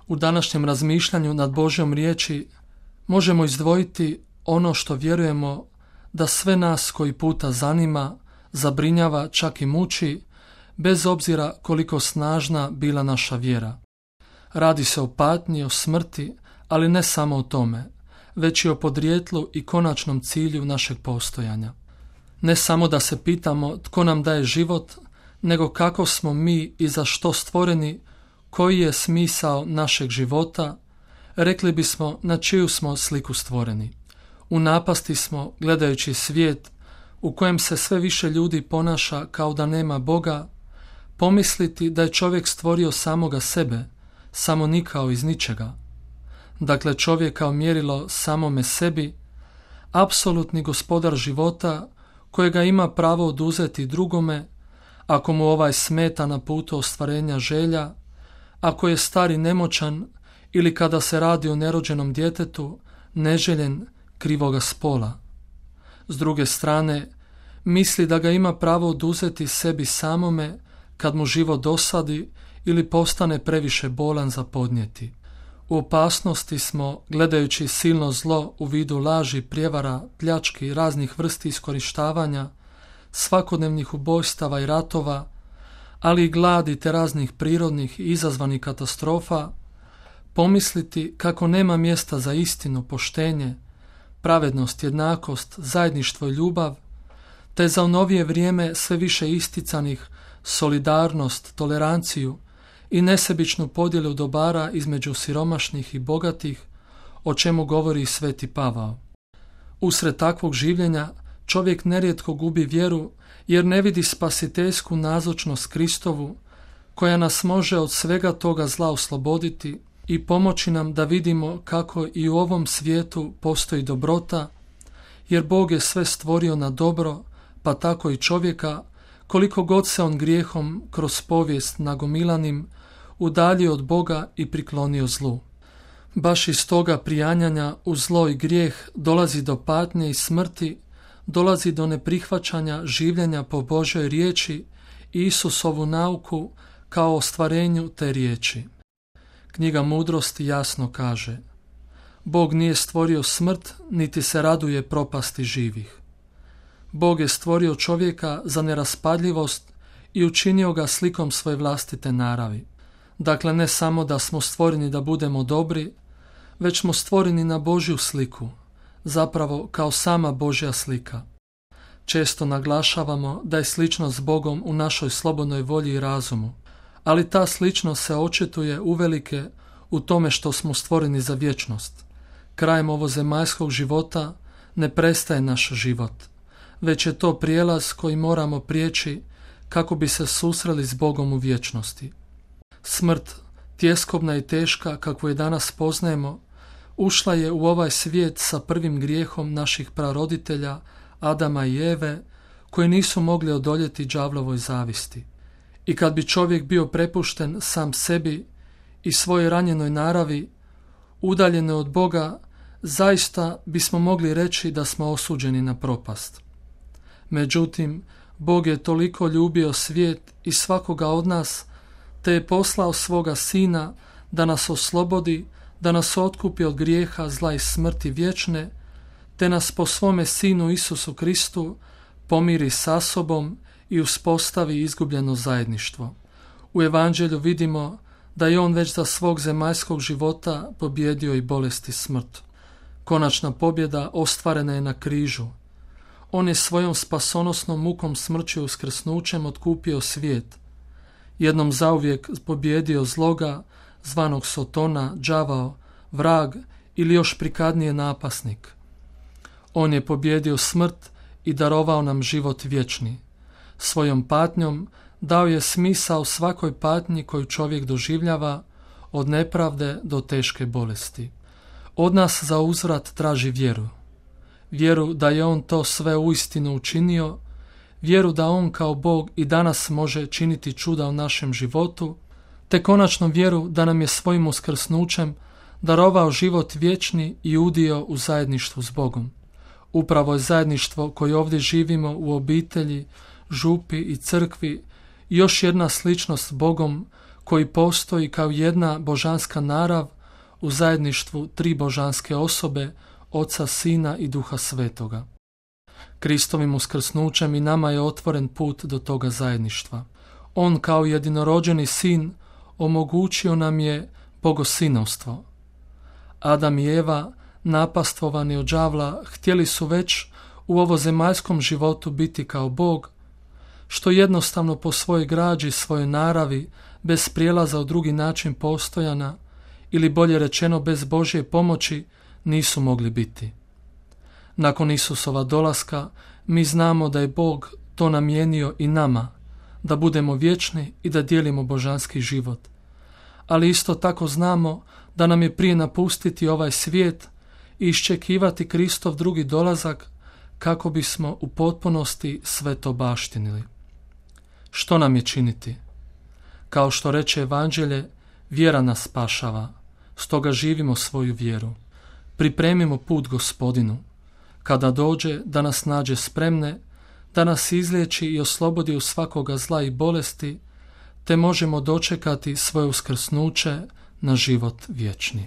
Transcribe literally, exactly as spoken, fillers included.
U današnjem razmišljanju nad Božjom riječi možemo izdvojiti ono što vjerujemo da sve nas koji puta zanima, zabrinjava, čak i muči, bez obzira koliko snažna bila naša vjera. Radi se o patnji, o smrti, ali ne samo o tome, već i o podrijetlu i konačnom cilju našeg postojanja. Ne samo da se pitamo tko nam daje život, nego kako smo mi i za što stvoreni, koji je smisao našeg života, rekli bismo na čiju smo sliku stvoreni. U napasti smo, gledajući svijet u kojem se sve više ljudi ponaša kao da nema Boga, pomisliti da je čovjek stvorio samoga sebe, samo nikao iz ničega. Dakle, čovjek kao mjerilo samome sebi, apsolutni gospodar života kojega ima pravo oduzeti drugome, ako mu ovaj smeta na putu ostvarenja želja, ako je star i nemoćan ili kada se radi o nerođenom djetetu, neželjen, krivoga spola. S druge strane, misli da ga ima pravo oduzeti sebi samome kad mu život dosadi ili postane previše bolan za podnijeti. U opasnosti smo, gledajući silno zlo u vidu laži, prijevara, pljački, raznih vrsti iskorištavanja, svakodnevnih ubojstava i ratova, ali i gladi te raznih prirodnih i izazvanih katastrofa, pomisliti kako nema mjesta za istinu, poštenje, pravednost, jednakost, zajedništvo i ljubav, te za u novije vrijeme sve više isticanih solidarnost, toleranciju i nesebičnu podjelu dobara između siromašnih i bogatih, o čemu govori i Sveti Pavao. Usred takvog življenja čovjek nerijetko gubi vjeru jer ne vidi spasiteljsku nazočnost Kristovu koja nas može od svega toga zla osloboditi i pomoći nam da vidimo kako i u ovom svijetu postoji dobrota, jer Bog je sve stvorio na dobro, pa tako i čovjeka, koliko god se on grijehom kroz povijest nagomilanim udaljio od Boga i priklonio zlu. Baš iz toga prijanjanja u zlo i grijeh dolazi do patnje i smrti, dolazi do neprihvaćanja življenja po Božoj riječi i Isusovu nauku kao ostvarenju te riječi. Knjiga Mudrosti jasno kaže: Bog nije stvorio smrt, niti se raduje propasti živih. Bog je stvorio čovjeka za neraspadljivost i učinio ga slikom svoje vlastite naravi. Dakle, ne samo da smo stvoreni da budemo dobri, već smo stvoreni na Božju sliku, zapravo kao sama Božja slika. Često naglašavamo da je sličnost s Bogom u našoj slobodnoj volji i razumu, ali ta sličnost se očituje uvelike u tome što smo stvoreni za vječnost. Krajem ovozemaljskog života ne prestaje naš život, već je to prijelaz koji moramo prijeći kako bi se susreli s Bogom u vječnosti. Smrt, tjeskobna i teška kakvu je danas poznajemo, ušla je u ovaj svijet sa prvim grijehom naših praroditelja Adama i Eve, koji nisu mogli odoljeti đavlovoj zavisti. I kad bi čovjek bio prepušten sam sebi i svojoj ranjenoj naravi, udaljene od Boga, zaista bismo mogli reći da smo osuđeni na propast. Međutim, Bog je toliko ljubio svijet i svakoga od nas, te je poslao svoga Sina da nas oslobodi, da nas otkupi od grijeha, zla i smrti vječne, te nas po svome Sinu Isusu Kristu pomiri sa sobom i uspostavi izgubljeno zajedništvo. U Evanđelju vidimo da je on već za svog zemaljskog života pobjedio i bolest i smrt. Konačna pobjeda ostvarena je na križu. On je svojom spasonosnom mukom, smrću i uskrsnućem otkupio svijet. Jednom zauvijek pobjedio zloga, zvanog Sotona, đavao, vrag ili još prikadnije napasnik. On je pobjedio smrt i darovao nam život vječni. Svojom patnjom dao je smisao svakoj patnji koju čovjek doživljava, od nepravde do teške bolesti. Od nas za uzvrat traži vjeru. Vjeru da je on to sve uistinu učinio, vjeru da on kao Bog i danas može činiti čuda u našem životu, te konačno vjeru da nam je svojim uskrsnućem darovao život vječni i udio u zajedništvu s Bogom. Upravo je zajedništvo koje ovdje živimo u obitelji, župi i crkvi još jedna sličnost s Bogom koji postoji kao jedna božanska narav u zajedništvu tri božanske osobe, Oca, Sina i Duha Svetoga. Kristovim uskrsnućem i nama je otvoren put do toga zajedništva. On kao jedinorođeni sin omogućio nam je bogosinovstvo. Adam i Eva, napastvovani od đavla, htjeli su već u ovozemaljskom životu biti kao Bog, što jednostavno po svojoj građi, svojoj naravi, bez prijelaza u drugi način postojana, ili bolje rečeno bez Božje pomoći, nisu mogli biti. Nakon Isusova dolaska, mi znamo da je Bog to namijenio i nama, da budemo vječni i da dijelimo božanski život. Ali isto tako znamo da nam je prije napustiti ovaj svijet i iščekivati Kristov drugi dolazak kako bismo u potpunosti sve to baštinili. Što nam je činiti? Kao što reče Evanđelje, vjera nas spašava, stoga živimo svoju vjeru. Pripremimo put Gospodinu, kada dođe da nas nađe spremne, da nas izliječi i oslobodi od svakoga zla i bolesti, te možemo dočekati svoje uskrsnuće na život vječni.